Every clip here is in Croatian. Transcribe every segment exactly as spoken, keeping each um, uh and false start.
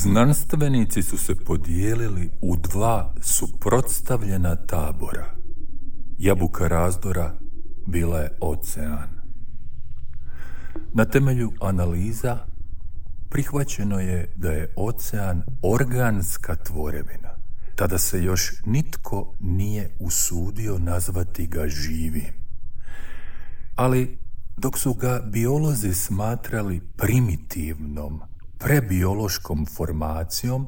Znanstvenici su se podijelili u dva suprotstavljena tabora. Jabuka razdora bila je ocean. Na temelju analiza prihvaćeno je da je ocean organska tvorevina. Tada se još nitko nije usudio nazvati ga živim. Ali dok su ga biolozi smatrali primitivnom, prebiološkom formacijom,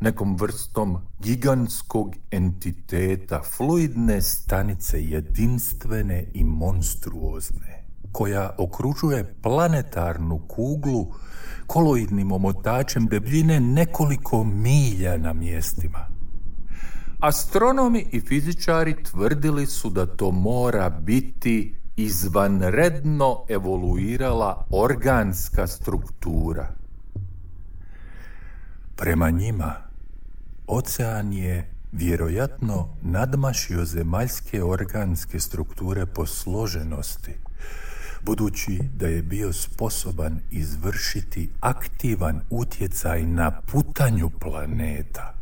nekom vrstom gigantskog entiteta, fluidne stanice jedinstvene i monstruozne, koja okružuje planetarnu kuglu koloidnim omotačem debljine nekoliko milja na mjestima. Astronomi i fizičari tvrdili su da to mora biti izvanredno evoluirala organska struktura. Prema njima, ocean je vjerojatno nadmašio zemaljske organske strukture po složenosti, budući da je bio sposoban izvršiti aktivan utjecaj na putanju planeta.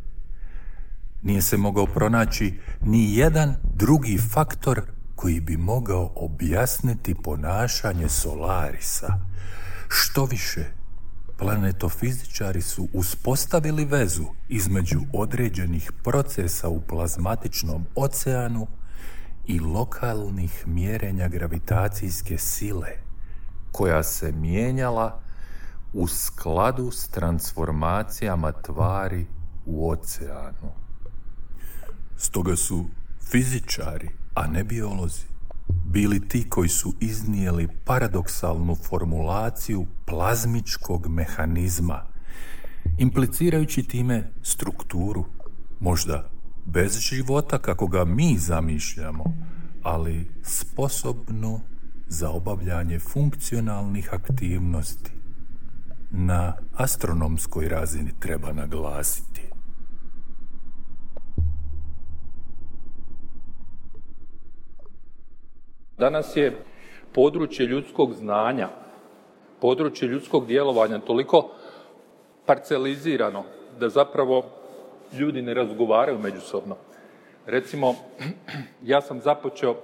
Nije se mogao pronaći ni jedan drugi faktor koji bi mogao objasniti ponašanje Solarisa. Što više, planetofizičari su uspostavili vezu između određenih procesa u plazmatičnom oceanu i lokalnih mjerenja gravitacijske sile, koja se mijenjala u skladu s transformacijama tvari u oceanu. Stoga su fizičari, a ne biolozi, bili ti koji su iznijeli paradoksalnu formulaciju plazmičkog mehanizma, implicirajući time strukturu, možda bez života kako ga mi zamišljamo, ali sposobnu za obavljanje funkcionalnih aktivnosti. Na astronomskoj razini treba naglasiti. Danas je područje ljudskog znanja, područje ljudskog djelovanja toliko parcelizirano da zapravo ljudi ne razgovaraju međusobno. Recimo, ja sam započeo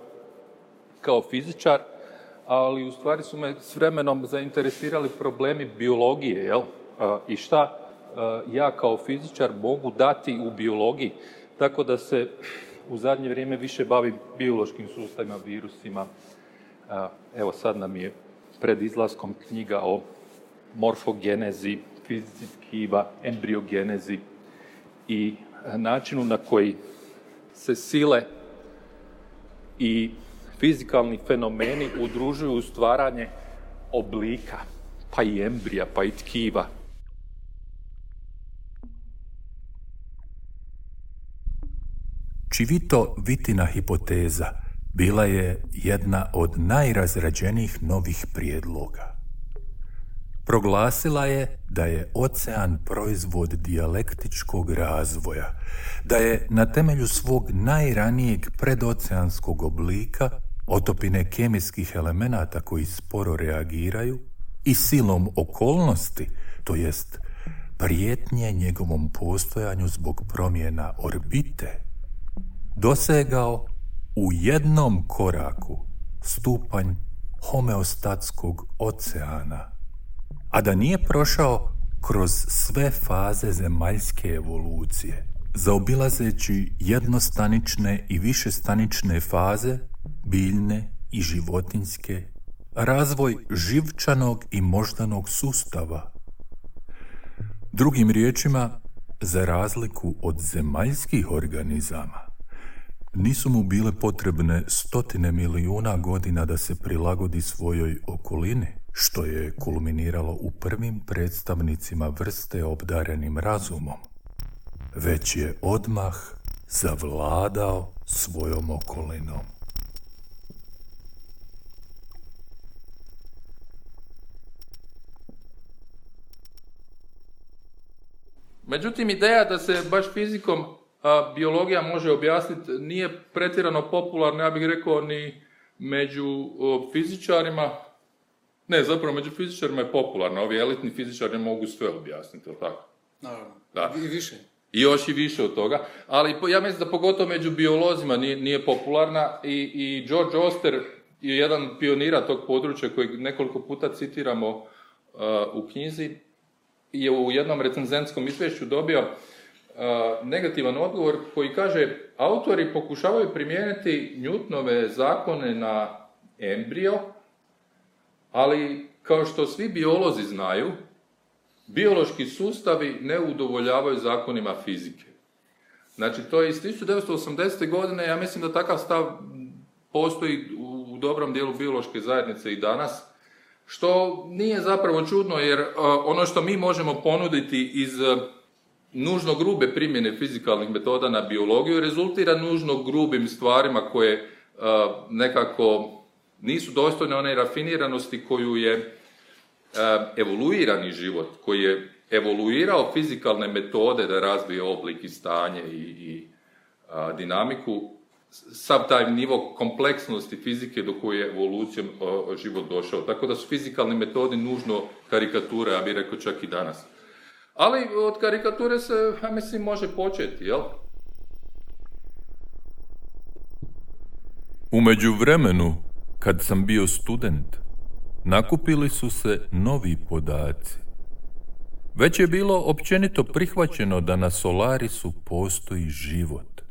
kao fizičar, ali u stvari su me s vremenom zainteresirali problemi biologije, jel? I šta ja kao fizičar mogu dati u biologiji, tako da se u zadnje vrijeme više bavim biološkim sustavima, virusima. Evo sad nam je pred izlaskom knjiga o morfogenezi, fizici tkiva, embriogenezi i načinu na koji se sile i fizikalni fenomeni udružuju u stvaranje oblika, pa i embrija, pa i tkiva. Čivito-Vitina hipoteza bila je jedna od najrazrađenijih novih prijedloga. Proglasila je da je ocean proizvod dijalektičkog razvoja, da je na temelju svog najranijeg predoceanskog oblika, otopine kemijskih elemenata koji sporo reagiraju, i silom okolnosti, to jest prijetnje njegovom postojanju zbog promjena orbite, dosegao u jednom koraku stupanj homeostatskog oceana, a da nije prošao kroz sve faze zemaljske evolucije, zaobilazeći jednostanične i višestanične faze, biljne i životinjske, razvoj živčanog i moždanog sustava. Drugim riječima, za razliku od zemaljskih organizama, nisu mu bile potrebne stotine milijuna godina da se prilagodi svojoj okolini, što je kulminiralo u prvim predstavnicima vrste obdarenim razumom, već je odmah zavladao svojom okolinom. Međutim, ideja da se baš fizikom a, biologija može objasniti nije pretjerano popularna, ja bih rekao, ni među o, fizičarima. Ne, zapravo među fizičarima je popularna. Ovi elitni fizičari mogu sve objasniti, ili tako? Naravno. Da. I više. I još i više od toga, ali ja mislim da pogotovo među biolozima nije, nije popularna i, i George Oster je jedan pionira tog područja kojeg nekoliko puta citiramo uh, u knjizi, je u jednom recenzentskom izvješću dobio uh, negativan odgovor koji kaže autori pokušavaju primijeniti Newtonove zakone na embrio, ali kao što svi biolozi znaju, biološki sustavi ne udovoljavaju zakonima fizike. Znači, to je iz tisuću devetsto osamdesete. godine, ja mislim da takav stav postoji u dobrom dijelu biološke zajednice i danas, što nije zapravo čudno, jer uh, ono što mi možemo ponuditi iz uh, nužno grube primjene fizikalnih metoda na biologiju rezultira nužno grubim stvarima koje uh, nekako nisu dostojne one rafiniranosti koju je evoluirani život, koji je evoluirao fizikalne metode da razvije oblik i stanje i, i a, dinamiku, sav taj nivo kompleksnosti fizike do koje je evolucijom a, život došao. Tako da su fizikalne metode nužno karikature, ja bih rekao čak i danas. Ali od karikature se, ja mislim, može početi, jel? U međuvremenu, kad sam bio student, nakupili su se novi podaci. Već je bilo općenito prihvaćeno da na Solarisu postoji život,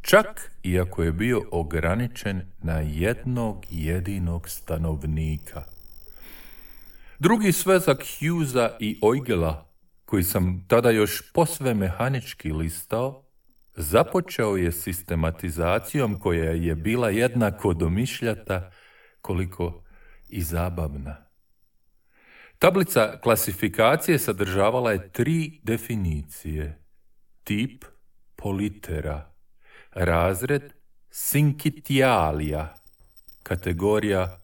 čak i ako je bio ograničen na jednog jedinog stanovnika. Drugi svezak Hughesa i Eugela, koji sam tada još posve mehanički listao, započeo je sistematizacijom koja je bila jednako domišljata koliko i zabavna. Tablica klasifikacije sadržavala je tri definicije. Tip politera, razred Sincitialia, kategorija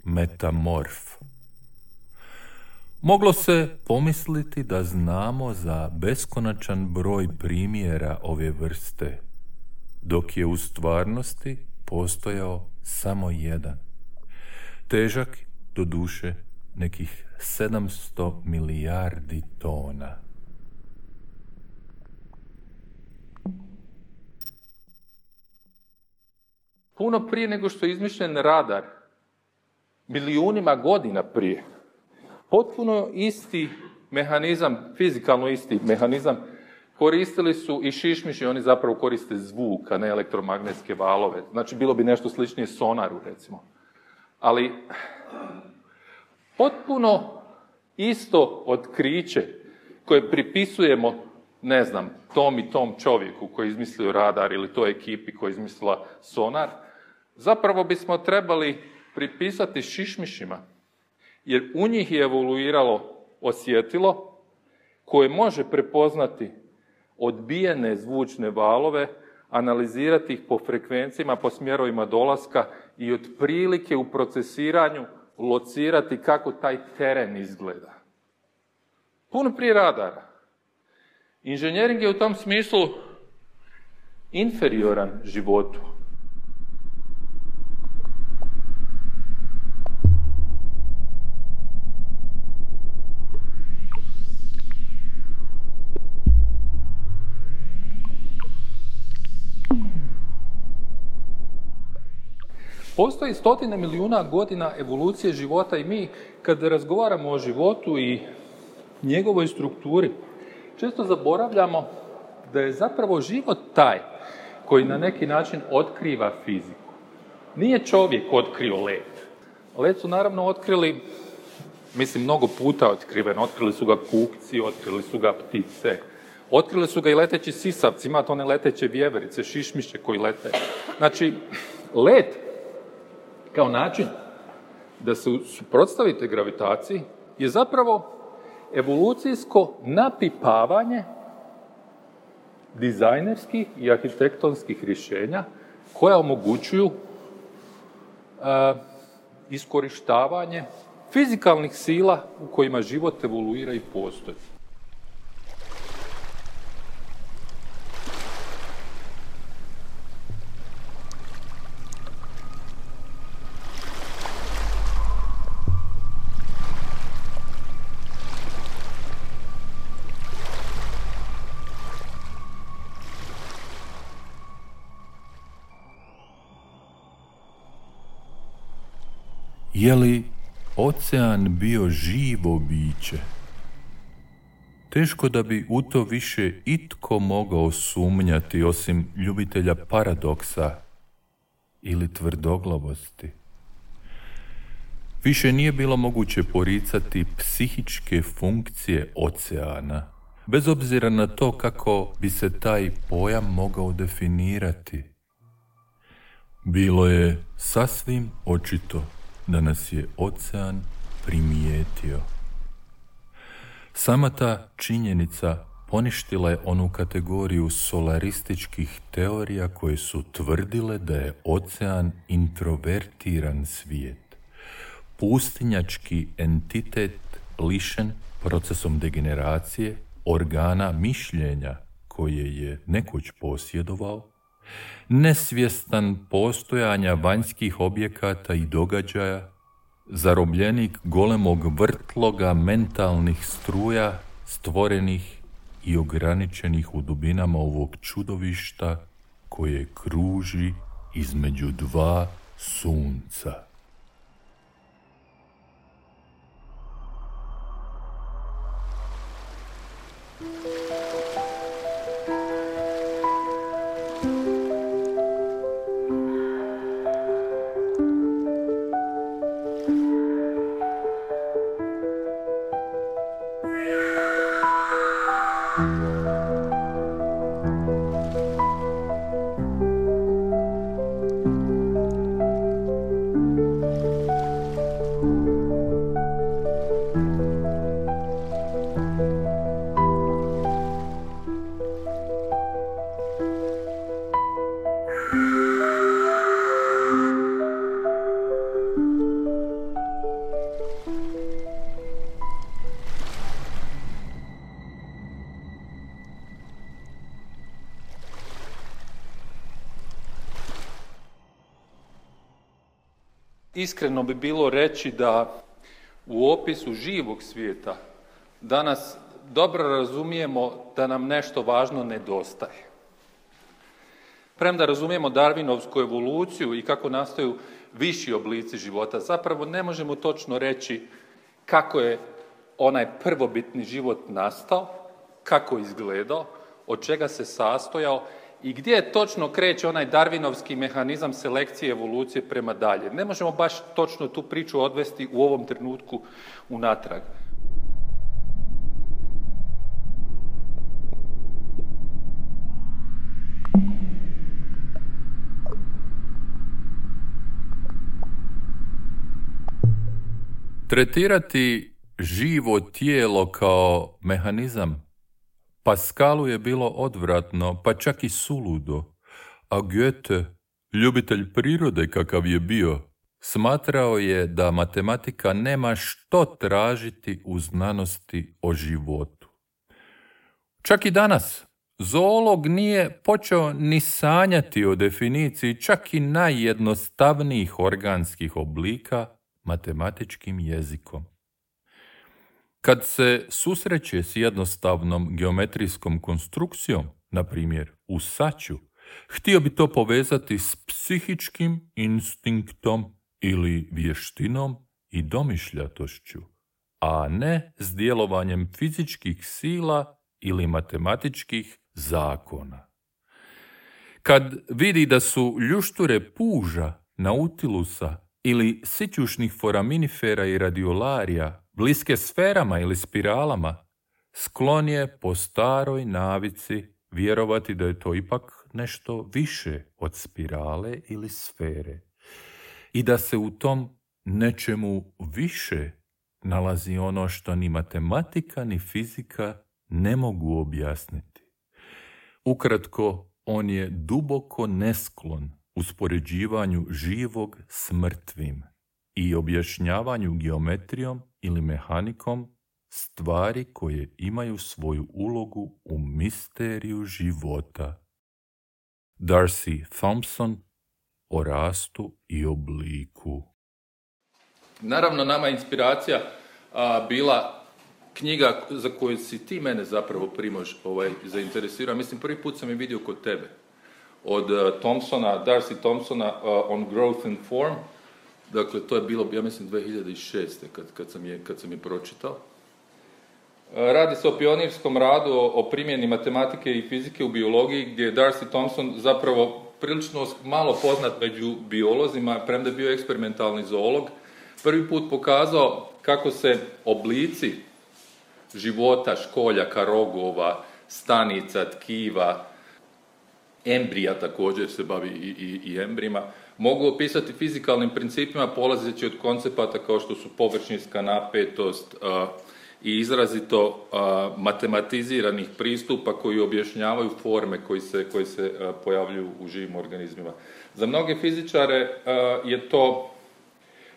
metamorf. Moglo se pomisliti da znamo za beskonačan broj primjera ove vrste, dok je u stvarnosti postojao samo jedan. Težak, doduše, nekih sedamsto milijardi tona. Puno prije nego što je izmišljen radar, milijunima godina prije, potpuno isti mehanizam, fizikalno isti mehanizam, koristili su i šišmiši, oni zapravo koriste zvuk, a ne elektromagnetske valove. Znači, bilo bi nešto sličnije sonaru, recimo. Ali, potpuno isto otkriće koje pripisujemo, ne znam, tom i tom čovjeku koji je izmislio radar ili toj ekipi koja je izmislila sonar, zapravo bismo trebali pripisati šišmišima, jer u njih je evoluiralo osjetilo koje može prepoznati odbijene zvučne valove, analizirati ih po frekvencijama, po smjerovima dolaska i otprilike u procesiranju locirati kako taj teren izgleda. Puno prije radara. Inženjering je u tom smislu inferioran životu. Postoji stotine milijuna godina evolucije života i mi, kada razgovaramo o životu i njegovoj strukturi, često zaboravljamo da je zapravo život taj koji na neki način otkriva fiziku. Nije čovjek otkrio led. Led su naravno otkrili, mislim, mnogo puta otkriven. Otkrili su ga kukci, otkrili su ga ptice, otkrili su ga i leteći sisavci, imate one leteće vjeverice, šišmiše koji lete. Znači, led kao način da se suprotstavite gravitaciji je zapravo evolucijsko napipavanje dizajnerskih i arhitektonskih rješenja koja omogućuju uh, iskorištavanje fizikalnih sila u kojima život evoluira i postoji. Je li ocean bio živo biće? Teško da bi u to više itko mogao sumnjati osim ljubitelja paradoksa ili tvrdoglavosti. Više nije bilo moguće poricati psihičke funkcije oceana, bez obzira na to kako bi se taj pojam mogao definirati. Bilo je sasvim očito da nas je ocean primijetio. Sama ta činjenica poništila je onu kategoriju solarističkih teorija koje su tvrdile da je ocean introvertiran svijet, pustinjački entitet lišen procesom degeneracije organa mišljenja koje je nekoć posjedovao, nesvjestan postojanja vanjskih objekata i događaja, zarobljenik golemog vrtloga mentalnih struja stvorenih i ograničenih u dubinama ovog čudovišta koje kruži između dva sunca. Iskreno bi bilo reći da u opisu živog svijeta danas dobro razumijemo da nam nešto važno nedostaje. Premda razumijemo darwinovsku evoluciju i kako nastaju viši oblici života, zapravo ne možemo točno reći kako je onaj prvobitni život nastao, kako je izgledao, od čega se sastojao i gdje točno kreće onaj darwinovski mehanizam selekcije i evolucije prema dalje. Ne možemo baš točno tu priču odvesti u ovom trenutku unatrag. Tretirati živo tijelo kao mehanizam Pascalu je bilo odvratno, pa čak i suludo, a Goethe, ljubitelj prirode kakav je bio, smatrao je da matematika nema što tražiti u znanosti o životu. Čak i danas, zoolog nije počeo ni sanjati o definiciji čak i najjednostavnijih organskih oblika matematičkim jezikom. Kad se susreće s jednostavnom geometrijskom konstrukcijom, na primjer u saću, htio bi to povezati s psihičkim instinktom ili vještinom i domišljatošću, a ne s djelovanjem fizičkih sila ili matematičkih zakona. Kad vidi da su ljušture puža, nautilusa ili sićušnih foraminifera i radiolarija bliske sferama ili spiralama, sklon je po staroj navici vjerovati da je to ipak nešto više od spirale ili sfere i da se u tom nečemu više nalazi ono što ni matematika ni fizika ne mogu objasniti. Ukratko, on je duboko nesklon uspoređivanju živog s mrtvim i objašnjavanju geometrijom ili mehanikom stvari koje imaju svoju ulogu u misteriju života. Darcy Thompson o rastu i obliku. Naravno, nama je inspiracija a, bila knjiga za koju si ti mene zapravo Primož ovaj, zainteresirao. Mislim, prvi put sam je vidio kod tebe. Od uh, Thompsona, Darcy Thompsona uh, On Growth and Form. Dakle, to je bilo, ja mislim, dvije hiljade šeste. kad, kad, sam, je, kad sam je pročitao. Radi se o pionirskom radu o, o primjeni matematike i fizike u biologiji, gdje je Darcy Thompson zapravo prilično malo poznat među biolozima, premda je bio eksperimentalni zoolog, prvi put pokazao kako se oblici života, školjaka, rogova, stanica, tkiva, embrija također se bavi i, i, i embrijima, mogu opisati fizikalnim principima polazeći od koncepata kao što su površinska napetost a, i izrazito a, matematiziranih pristupa koji objašnjavaju forme koji se, koji se a, pojavljuju u živim organizmima. Za mnoge fizičare a, je to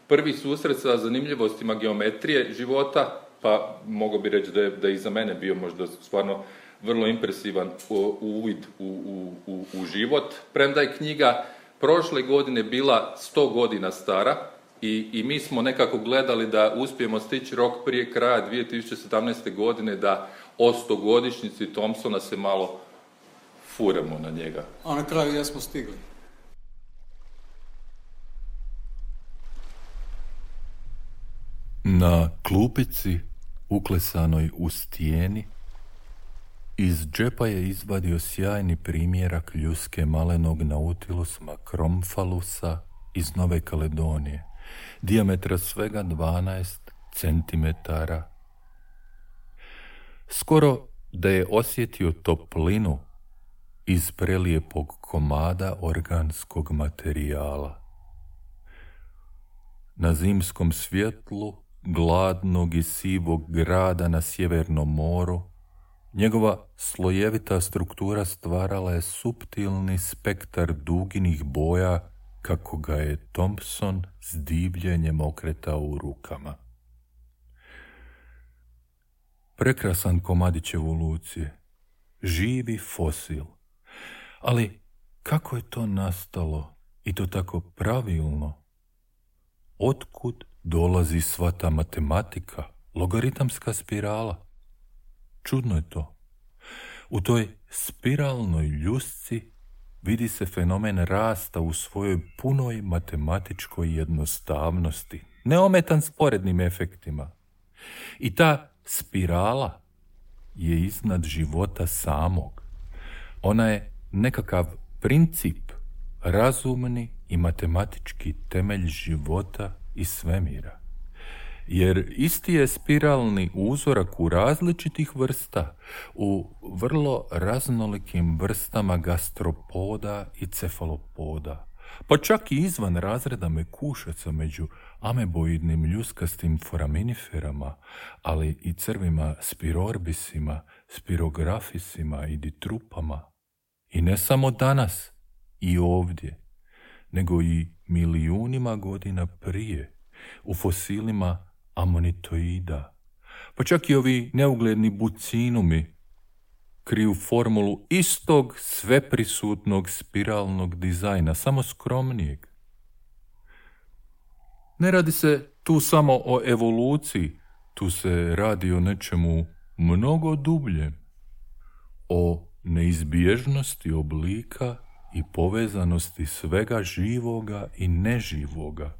prvi susret sa zanimljivostima geometrije života, pa mogu bi reći da je, da je i za mene bio možda stvarno vrlo impresivan uvid u, u, u, u život. Premda je knjiga prošle godine bila sto godina stara i, i mi smo nekako gledali da uspijemo stići rok prije kraja dvije tisuće sedamnaeste. godine da o stogodišnjici Thompsona se malo furamo na njega. A na kraju jesmo stigli. Na klupici, uklesanoj u stijeni, iz džepa je izvadio sjajni primjerak ljuske malenog Nautilus macromphalusa iz Nove Kaledonije, dijametra svega dvanaest centimetara. Skoro da je osjetio toplinu iz prelijepog komada organskog materijala. Na zimskom svjetlu gladnog i sivog grada na Sjevernom moru, njegova slojevita struktura stvarala je suptilni spektar duginih boja kako ga je Thompson s divljenjem okretao u rukama. Prekrasan komadić evolucije, živi fosil. Ali kako je to nastalo i to tako pravilno? Otkud dolazi sva ta matematika, logaritamska spirala? Čudno je to. U toj spiralnoj ljusci vidi se fenomen rasta u svojoj punoj matematičkoj jednostavnosti, neometan sporednim efektima. I ta spirala je iznad života samog. Ona je nekakav princip, razumni i matematički temelj života i svemira. Jer isti je spiralni uzorak u različitih vrsta, u vrlo raznolikim vrstama gastropoda i cefalopoda, pa čak i izvan razreda mekušaca među ameboidnim ljuskastim foraminiferama, ali i crvima spirorbisima, spirografisima i ditrupama. I ne samo danas i ovdje, nego i milijunima godina prije, u fosilima amonitoida, pa čak i ovi neugledni bucinumi kriju formulu istog sveprisutnog spiralnog dizajna, samo skromnijeg. Ne radi se tu samo o evoluciji, tu se radi o nečemu mnogo dubljem, o neizbježnosti oblika i povezanosti svega živoga i neživoga.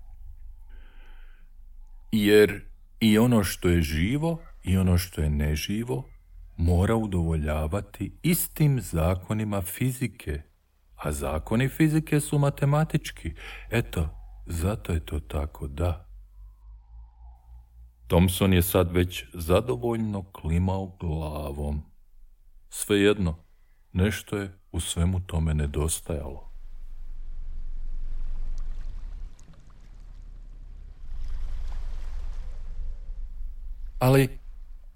Jer i ono što je živo i ono što je neživo mora udovoljavati istim zakonima fizike, a zakoni fizike su matematički. Eto, zato je to tako, da. Thompson je sad već zadovoljno klimao glavom. Svejedno, nešto je u svemu tome nedostajalo. Ali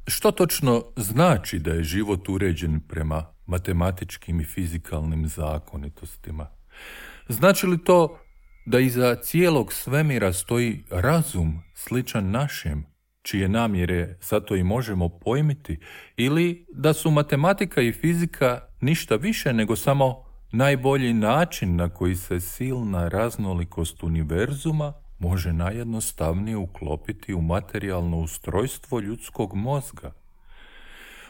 što točno znači da je život uređen prema matematičkim i fizikalnim zakonitostima? Znači li to da iza cijelog svemira stoji razum sličan našem, čije namjere zato i možemo pojmiti, ili da su matematika i fizika ništa više nego samo najbolji način na koji se silna raznolikost univerzuma može najjednostavnije uklopiti u materijalno ustrojstvo ljudskog mozga?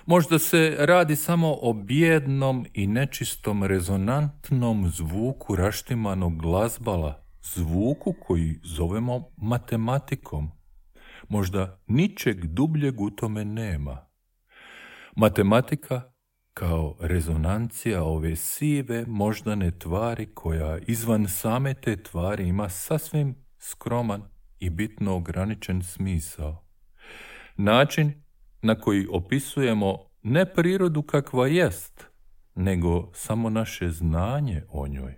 Možda se radi samo o bijednom i nečistom rezonantnom zvuku raštimanog glazbala zvuku koji zovemo matematikom. Možda ničeg dubljeg u tome nema. Matematika kao rezonancija ove sive moždane tvari koja izvan same te tvari ima sasvim skroman i bitno ograničen smisao. Način na koji opisujemo ne prirodu kakva jest, nego samo naše znanje o njoj.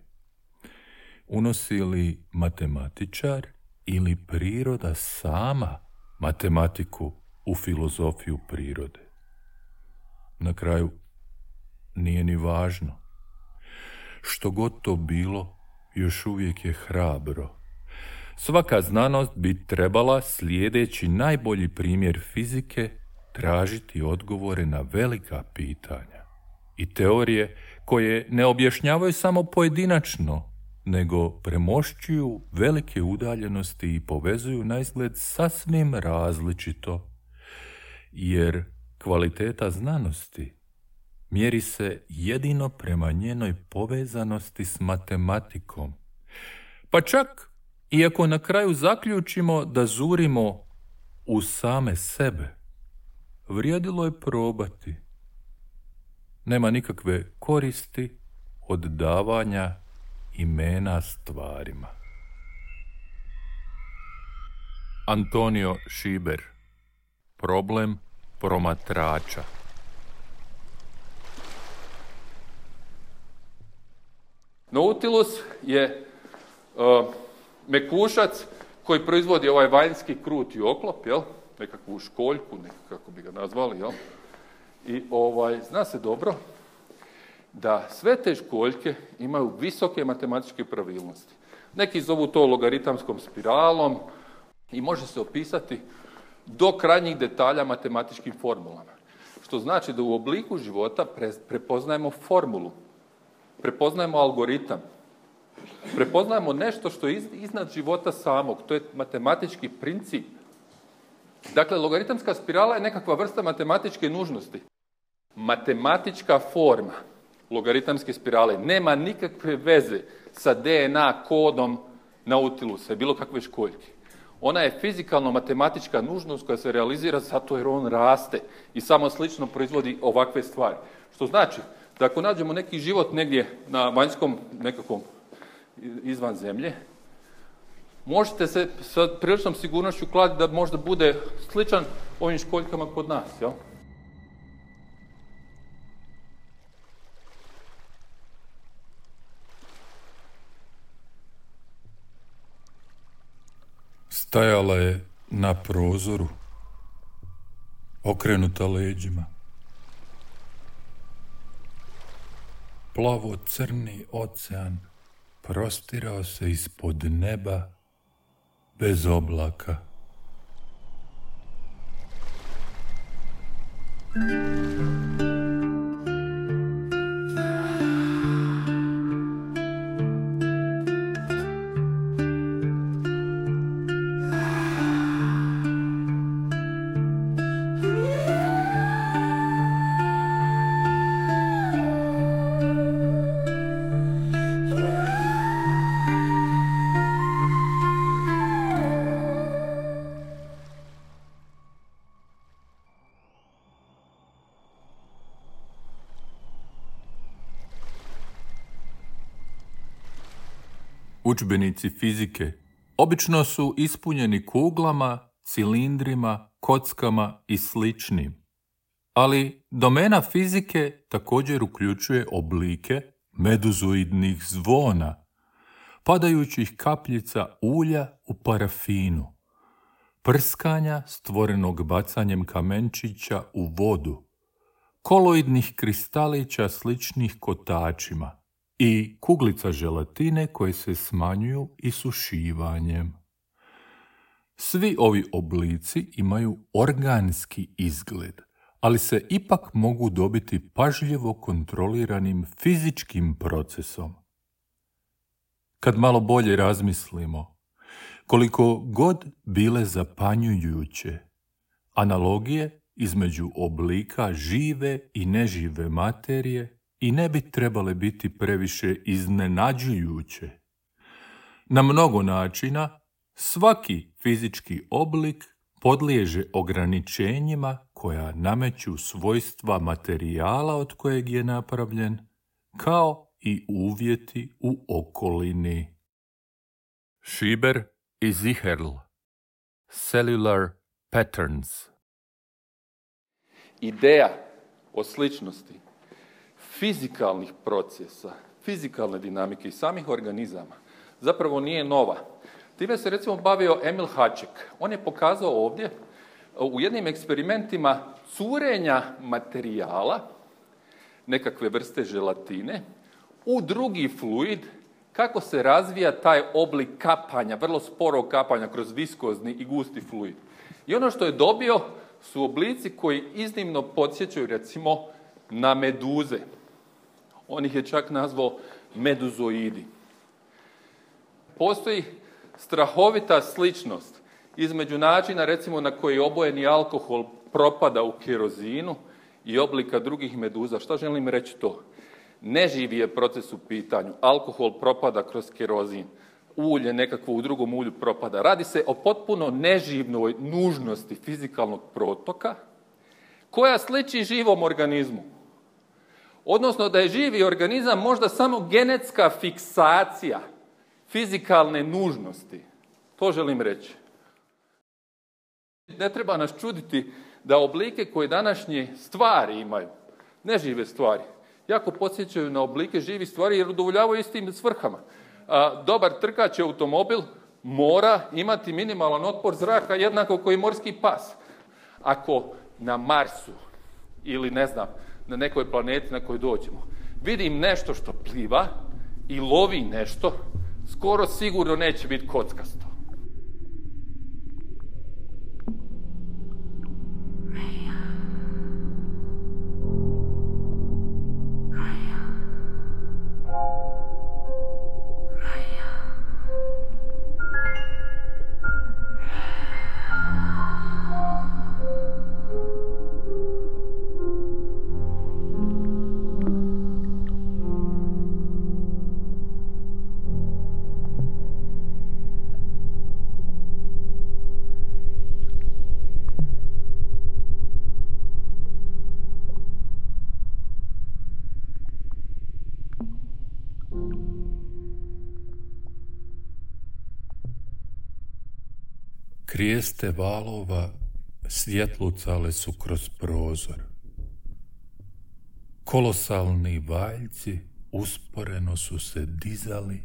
Unosi li matematičar ili priroda sama matematiku u filozofiju prirode? Na kraju, nije ni važno. Što god to bilo, još uvijek je hrabro. Svaka znanost bi trebala, slijedeći najbolji primjer fizike, tražiti odgovore na velika pitanja i teorije koje ne objašnjavaju samo pojedinačno, nego premošćuju velike udaljenosti i povezuju naizgled sasvim različito, jer kvaliteta znanosti mjeri se jedino prema njenoj povezanosti s matematikom. Pa čak iako na kraju zaključimo da zurimo u same sebe, vrijedilo je probati. Nema nikakve koristi od davanja imena stvarima. Antonio Šiber. Problem promatrača. Nautilus je uh, mekušac koji proizvodi ovaj vanjski kruti oklop, jel? Nekakvu školjku, kako bi ga nazvali, jel? I ovaj, zna se dobro da sve te školjke imaju visoke matematičke pravilnosti. Neki zovu to logaritamskom spiralom i može se opisati do krajnjih detalja matematičkim formulama. Što znači da u obliku života pre, prepoznajemo formulu, prepoznajemo algoritam, prepoznajemo nešto što je iznad života samog, to je matematički princip. Dakle, logaritamska spirala je nekakva vrsta matematičke nužnosti. Matematička forma logaritamske spirale nema nikakve veze sa D N A kodom Nautilusa i bilo kakve školjke. Ona je fizikalno-matematička nužnost koja se realizira zato jer on raste i samo slično proizvodi ovakve stvari. Što znači da ako nađemo neki život negdje na vanjskom nekakvom izvan zemlje, možete se sa priličnom sigurnošću kladiti da možda bude sličan ovim školjkama kod nas, jel? Stajala je na prozoru, okrenuta leđima. Plavo-crni ocean prostirao se ispod neba bez oblaka. Udžbenici fizike obično su ispunjeni kuglama, cilindrima, kockama i sličnim. Ali domena fizike također uključuje oblike meduzoidnih zvona, padajućih kapljica ulja u parafinu, prskanja stvorenog bacanjem kamenčića u vodu, koloidnih kristalića sličnih kotačima i kuglica želatine koje se smanjuju isušivanjem. Svi ovi oblici imaju organski izgled, ali se ipak mogu dobiti pažljivo kontroliranim fizičkim procesom. Kad malo bolje razmislimo, koliko god bile zapanjujuće, analogije između oblika žive i nežive materije i ne bi trebale biti previše iznenađujuće. Na mnogo načina, svaki fizički oblik podliježe ograničenjima koja nameću svojstva materijala od kojeg je napravljen, kao i uvjeti u okolini. Schieber i Zicherl. Cellular patterns. Ideja o sličnosti fizikalnih procesa, fizikalne dinamike i samih organizama zapravo nije nova. Time se recimo bavio Emil Haček. On je pokazao ovdje u jednim eksperimentima curenja materijala, nekakve vrste želatine, u drugi fluid, kako se razvija taj oblik kapanja, vrlo sporog kapanja kroz viskozni i gusti fluid. I ono što je dobio su oblici koji iznimno podsjećaju recimo na meduze. On ih je čak nazvao meduzoidi. Postoji strahovita sličnost između načina recimo na koji obojeni alkohol propada u kerozinu i oblika drugih meduza. Šta želim reći to? Neživi je proces u pitanju. Alkohol propada kroz kerozin. Ulje nekakvo u drugom ulju propada. Radi se o potpuno neživnoj nužnosti fizikalnog protoka koja sliči živom organizmu. Odnosno da je živi organizam možda samo genetska fiksacija fizikalne nužnosti. To želim reći. Ne treba nas čuditi da oblike koje današnje stvari imaju, nežive stvari, jako podsjećaju na oblike živih stvari jer udovoljavaju istim svrhama. A, dobar trkač automobil mora imati minimalan otpor zraka jednako kao i morski pas. Ako na Marsu ili ne znam, na nekoj planeti na kojoj dođemo, vidim nešto što pliva i lovi nešto, skoro sigurno neće biti kockasto. Krijeste valova svjetlucale su kroz prozor. Kolosalni valjci usporeno su se dizali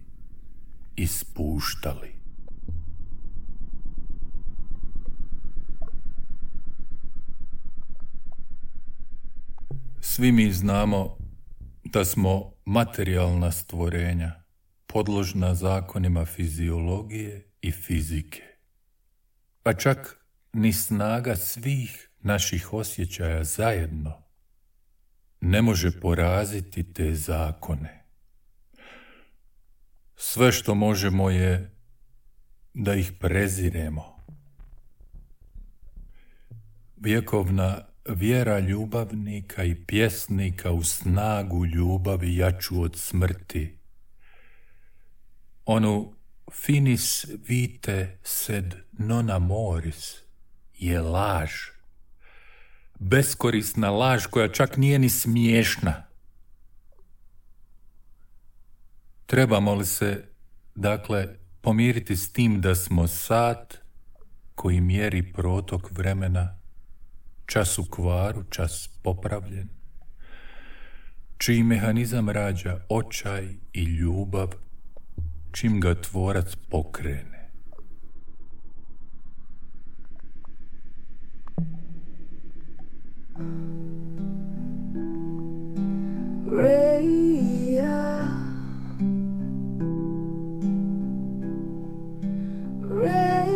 i spuštali. Svi mi znamo da smo materijalna stvorenja, podložna zakonima fiziologije i fizike. Pa čak ni snaga svih naših osjećaja zajedno ne može poraziti te zakone. Sve što možemo je da ih preziremo. Vjekovna vjera ljubavnika i pjesnika u snagu ljubavi jaču od smrti, onu finis vitae sed non amoris je laž. Beskorisna laž koja čak nije ni smiješna. Trebamo li se, dakle, pomiriti s tim da smo sat koji mjeri protok vremena, čas u kvaru, čas popravljen, čiji mehanizam rađa očaj i ljubav, čim ga tvorac pokrene. Rhea, Rhea,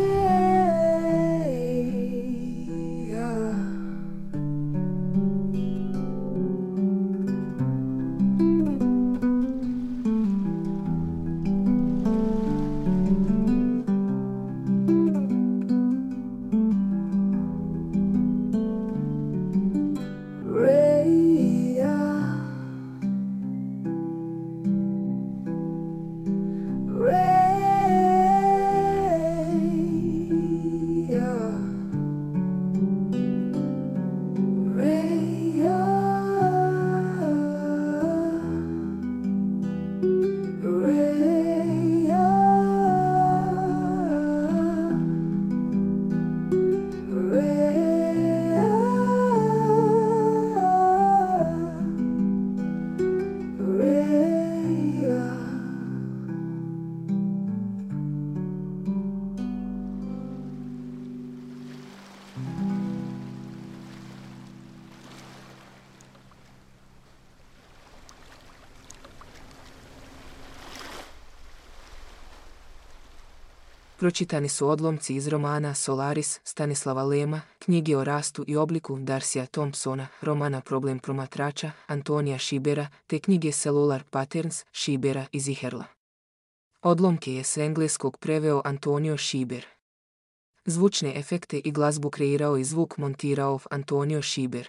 Pročitani su odlomci iz romana Solaris Stanislava Lema, knjige o rastu i obliku Darcija Thompsona, romana Problem promatrača Antonija Šibera, te knjige Cellular Patterns Šibera i Ziherla. Odlomke je s engleskog preveo Antonio Šiber. Zvučne efekte i glazbu kreirao i zvuk montirao Antonio Šiber.